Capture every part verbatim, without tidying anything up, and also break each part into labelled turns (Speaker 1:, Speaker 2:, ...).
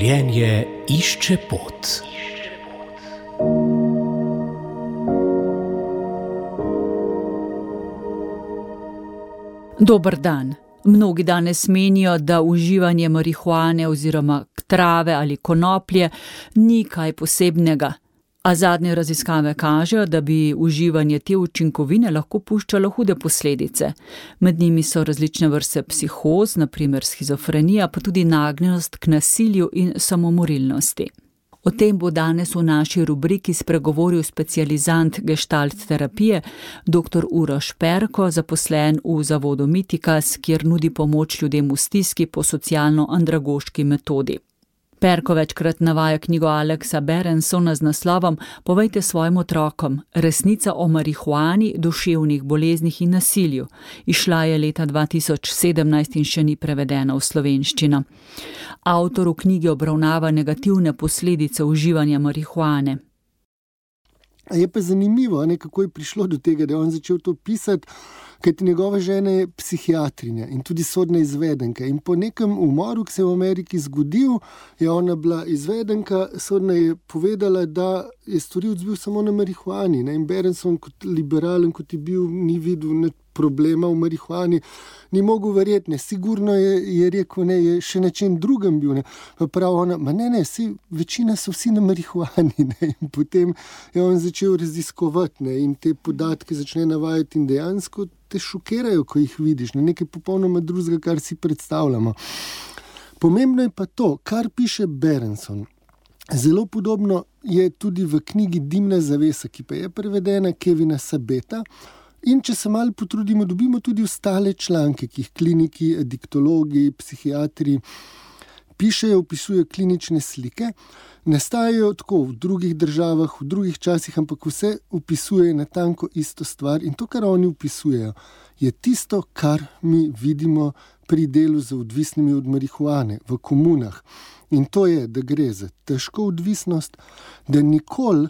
Speaker 1: Življenje išče pot.
Speaker 2: Dober dan. Mnogi danes menijo, da uživanje marihuane oziroma trave ali konoplje ni kaj posebnega. A zadnje raziskave kažejo, da bi uživanje te učinkovine lahko puščalo hude posledice. Med njimi so različne vrste psihoz, na primer shizofrenija, pa tudi nagnjenost k nasilju in samomorilnosti. O tem bo danes v naši rubriki spregovoril specializant gestalt terapije, doktor Uroš Perko, zaposlen v zavodu Mitikas, kjer nudi pomoč ljudem v stiski po socialno-andragoški metodi. Perko večkrat navaja knjigo Alexa Berensona z naslovom Povejte svojim otrokom, resnica o marihuani, duševnih boleznih in nasilju. Izšla je leta dva tisoč sedemnajst in še ni prevedena v slovenščino. Avtor v knjigi obravnava negativne posledice uživanja marihuane.
Speaker 3: Je pa zanimivo, ne, kako je prišlo do tega, da je on začel to pisati, kajti njegova žena je psihiatrinja in tudi sodna izvedenka. In po nekem umoru, ki se je v Ameriki zgodil, je ona bila izvedenka, sodna je povedala, da je storilec bil samo na marihuani. Ne? In Berenson, kot liberalen, kot je bil, ni videl ne problema v marihuani, ni mogel verjeti, ne, sigurno je, je rekel, ne, je še na čem drugem bil, ne, pa prav ona, ma ne, ne, vsi, večina so vsi na marihuani, ne, in potem je on začel raziskovati, ne, in te podatke začne navajati in dejansko te šokirajo, ko jih vidiš, ne, nekaj popolnoma drugega, kar si predstavljamo. Pomembno je pa to, kar piše Berenson. Zelo podobno je tudi v knjigi Dimna zavesa, ki pa je prevedena Kevina Sabeta. In če se malo potrudimo, dobimo tudi ostale članke, ki jih kliniki, adiktologi, psihiatri pišejo, opisujejo klinične slike. Nastajajo tako v drugih državah, v drugih časih, ampak vse opisujejo natanko isto stvar. In to, kar oni opisujejo, je tisto, kar mi vidimo pri delu z odvisnimi od marihuane v komunah. In to je, da gre za težko odvisnost, da nikoli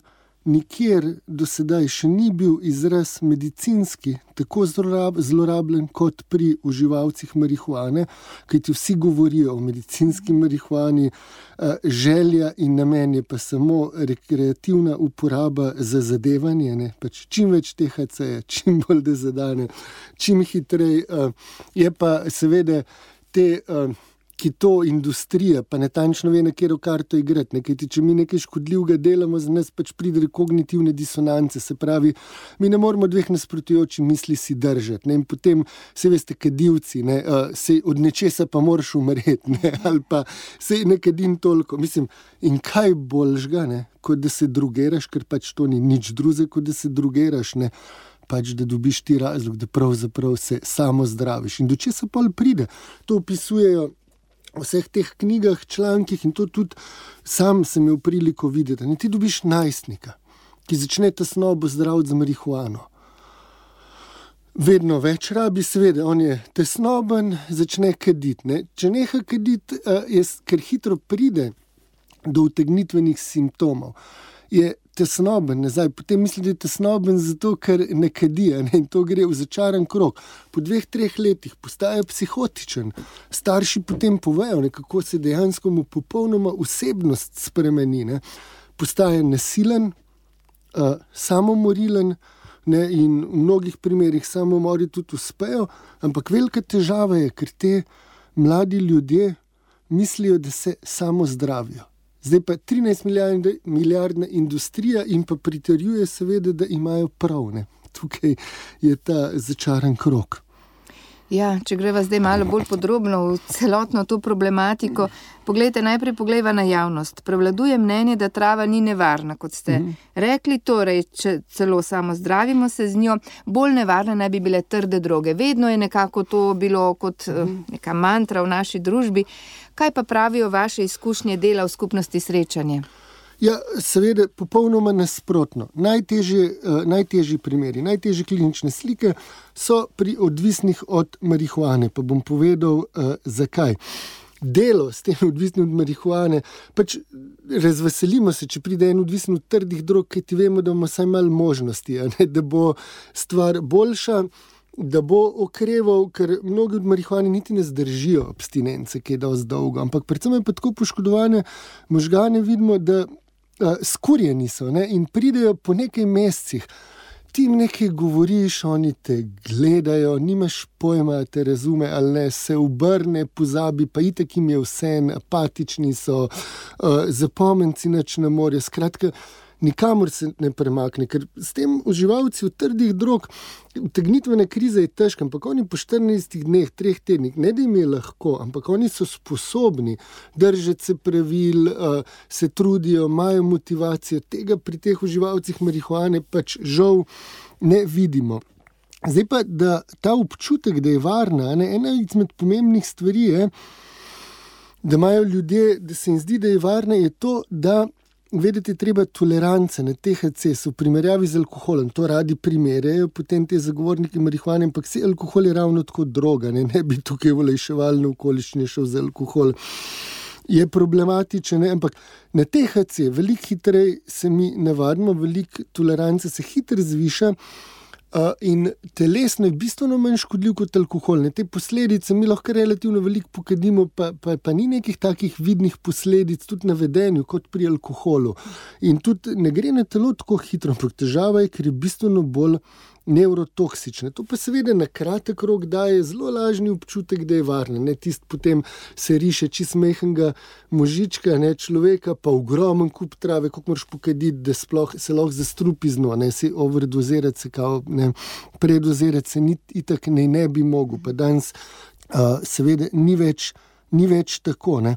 Speaker 3: nikjer do sedaj še ni bil izraz medicinski tako zlorabljen kot pri uživalcih marihuane, kajti vsi govorijo o medicinski marihuani, želja in namen je pa samo rekreativna uporaba za zadevanje, ne? Pač čim več T H C-ja, čim bolj da zadane, čim hitrej, je pa seveda te ki to industrija, pa natančno ve, na katero karto igrati. Ne? Kajti, če mi nekaj škodljivega delamo, za nas pač pride kognitivne disonance, se pravi, mi ne moramo dveh nasprotujočih misli si držati. Ne? In potem, se veste, kadilci, ne? Uh, se od nečesa pa moraš umreti, ne? Ali pa se ne kadim toliko. Mislim, in kaj boljšga, ne? Kot da se drogeraš, ker pač to ni nič drugega, kot da se drogeraš, ne? Pač da dobiš ti razlog, da pravzaprav se samo zdraviš. In do česa pol pride? To opisujejo v vseh teh knjigah, člankih in to tudi sam sem imel priliko videti. Ne, ti dobiš najstnika, ki začne tesnobo zdraviti za marihuano. Vedno več rabi, seveda, on je tesnoben, začne kaditi. Ne. Če neha kaditi, je, ker hitro pride do utegnitvenih simptomov, je tesnoben nazaj, potem misli, da je tesnoben zato, ker ne kadi, ne? In to gre v začaran krog. Po dveh, treh letih postaje psihotičen. Starši potem povejo, ne, kako se dejansko mu popolnoma osebnost spremeni. Ne? Postaje nasilen, uh, samomorilen, ne? In v mnogih primerih samomori tudi uspejo, ampak velika težava je, ker te mladi ljudje mislijo, da se samo zdravijo. Zdaj pa trinajst milijardna industrija in pa pritrjuje seveda, da imajo prav. Ne? Tukaj je ta začaran krog.
Speaker 4: Ja, če greva zdaj malo bolj podrobno v celotno to problematiko, poglejte, najprej poglejva na javnost. Prevladuje mnenje, da trava ni nevarna, kot ste mm. rekli, torej, če celo samo zdravimo se z njo, bolj nevarne naj bi bile trde droge. Vedno je nekako to bilo kot mm. neka mantra v naši družbi. Kaj pa pravijo vaše izkušnje dela v skupnosti Srečanje?
Speaker 3: Ja, seveda, popolnoma nasprotno. Najtežje, uh, najtežji primeri, najtežje klinične slike so pri odvisnih od marihuane. Pa bom povedal, uh, zakaj. Delo s tem odvisnim od marihuane, pač razveselimo se, če pride en odvisen od trdih drog, kaj ti vemo, da imamo vsaj malo možnosti, a ne, da bo stvar boljša. da bo okreval, ker mnogi od marihuane niti ne zdržijo abstinence, ki je dosti dolgo, ampak predvsem je pa tako poškodovane možgane, vidimo, da uh, skurjeni so, ne, in pridejo po nekaj mesecih. Ti jim nekaj govoriš, oni te gledajo, nimaš pojma, te razume ali ne, se obrne, pozabi, pa itak jim je vse, apatični so, uh, zapomnci nič ne morejo, skratka, nikamor se ne premakne, ker s tem uživalci v trdih drog, utegnitvena kriza je težka, ampak oni po štirinajstih dneh, treh tednih, ne da jim je lahko, ampak oni so sposobni držati se pravil, uh, se trudijo, imajo motivacijo, tega pri teh uživalcih marihuane pač žal ne vidimo. Zdaj pa, da ta občutek, da je varna, ne, ena izmed pomembnih stvari je, da imajo ljudje, da se jim zdi, da je varna, je to, da vedeti treba tolerance na T H C v primerjavi z alkoholom. To radi primerjajo potem te zagovorniki marihuane, ampak vse alkohol je ravno tako droga, ne, ne bi tukaj v olajševalne okoliščine šel za alkohol. Je problematičen, ne, ampak na T H C veliko hitreje se mi navadimo, veliko tolerance se hitro zviša, Uh, in telesno je bistveno manj škodljiv kot alkohol. Ne, te posledice mi lahko relativno veliko pokadimo, pa, pa, pa ni nekih takih vidnih posledic tudi na vedenju kot pri alkoholu. In tudi ne gre na telo tako hitro, ampak težava je, ker je bistveno bolj nevrotoksične. To pa seveda na kratek rok daje zelo lažni občutek, da je varno. Ne, tist potem se riše čist majhnega možička, ne, človeka, pa ogromen kup trave, koliko moraš pokaditi, da sploh se lahko zastrupi z njo, ne, se overdozirati se kao, ne, predozirati se ni, itak ne, ne bi mogel, pa danes uh, seveda ni več, ni več tako, ne.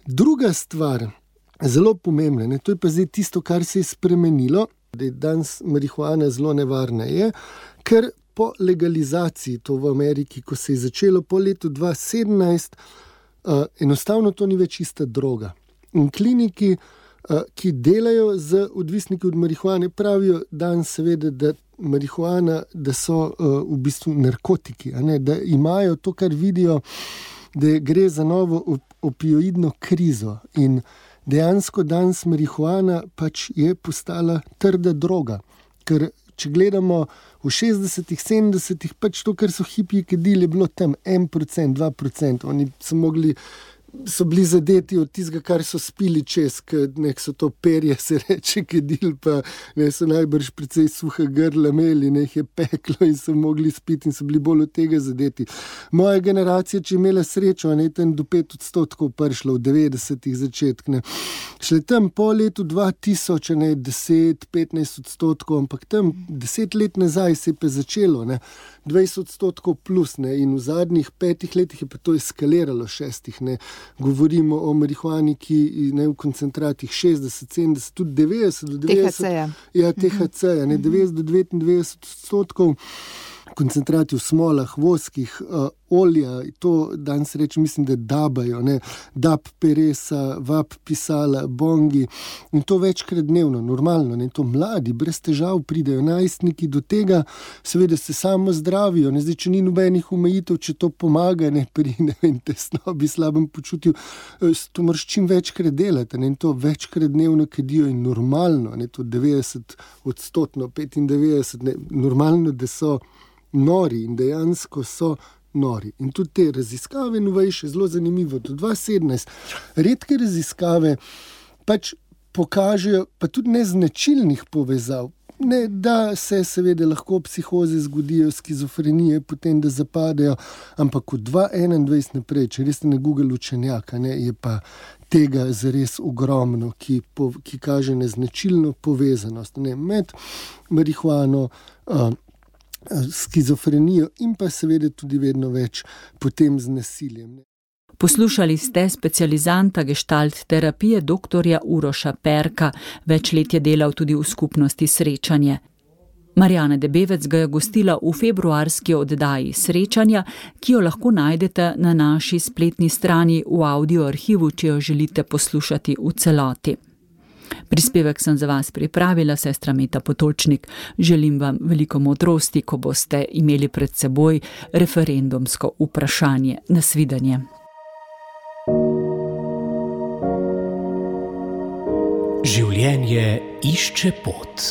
Speaker 3: Druga stvar, zelo pomembna, ne, to je pa zdaj tisto, kar se je spremenilo, da je danes marihuana zelo nevarna, je, ker po legalizaciji, to v Ameriki, ko se je začelo po letu dva tisoč sedemnajst, uh, enostavno to ni več ista droga. In kliniki, uh, ki delajo z odvisniki od marihuane, pravijo danes seveda, da marihuana, da so uh, v bistvu narkotiki, a ne, da imajo to, kar vidijo, da gre za novo op- opioidno krizo in dejansko danes marihuana pač je postala trda droga, ker če gledamo v šestdesetih, sedemdesetih, pač to, kar so hipiji kadili, je bilo tam en procent, dva procenta, oni so mogli, so bili zadeti od tistega, kar so spili čez, nek so to perje, se reče, kadili, pa ne so najbrž precej suha grla imeli, ne jih je peklo in so mogli spiti in so bili bolj od tega zadeti. Moja generacija, če je imela srečo, ne, tam do pet odstotkov prišla v devetdesetih začetk, ne. Šle tam po letu dva tisoč, ne, deset, petnajst odstotkov, ampak tam deset let nazaj se je pa začelo, ne, dvajset odstotkov plus, ne, in v zadnjih petih letih je pa to eskaliralo, šestih, ne. Govorimo o marihuani, ki ne, v koncentratih šestdeset, sedemdeset, tudi devetdeset do devetdeset.
Speaker 4: T H C-ja.
Speaker 3: Ja, T H C-ja, ne, devetdeset do devetindvajset odstotkov. Koncentrati v smolah, voskih, uh, olja, to danes reči, mislim, da dabajo, ne, dab peresa, vab pisala, bongi in to večkrat dnevno, normalno, ne, to mladi, brez težav pridejo najstniki do tega, seveda se samo zdravijo, ne, zdaj, če ni nobenih omejitev, če to pomaga, ne, pri, ne vem, tesnobi, slabem počutju, to moraš čim večkrat delati, ne, in to večkrat dnevno kadijo in normalno, ne, to devetdeset odstotno, petindevetdeset, ne, normalno, da so nori in dejansko so nori. In tudi te raziskave novejše, zelo zanimivo, do dva tisoč sedemnajst, redke raziskave pač pokažejo, pa tudi neznačilnih povezav, ne, da se seveda lahko psihoze zgodijo, skizofrenije, potem da zapadejo, ampak od dva tisoč enaindvajset naprej, če res ne Google učenjaka, ne, je pa tega zares ogromno, ki, po, ki kaže neznačilno povezanost, ne, med marihuano, uh, skizofrenijo in pa seveda tudi vedno več potem z nasiljem.
Speaker 2: Poslušali ste specializanta gestalt terapije doktorja Uroša Perka, več let je delal tudi v skupnosti Srečanje. Marjana Debevec ga je gostila v februarski oddaji Srečanja, ki jo lahko najdete na naši spletni strani v audio arhivu, če jo želite poslušati v celoti. Prispevek sem za vas pripravila, sestra Meta Potočnik. Želim vam veliko modrosti, ko boste imeli pred seboj referendumsko vprašanje. Nasvidenje.
Speaker 1: Življenje išče pot.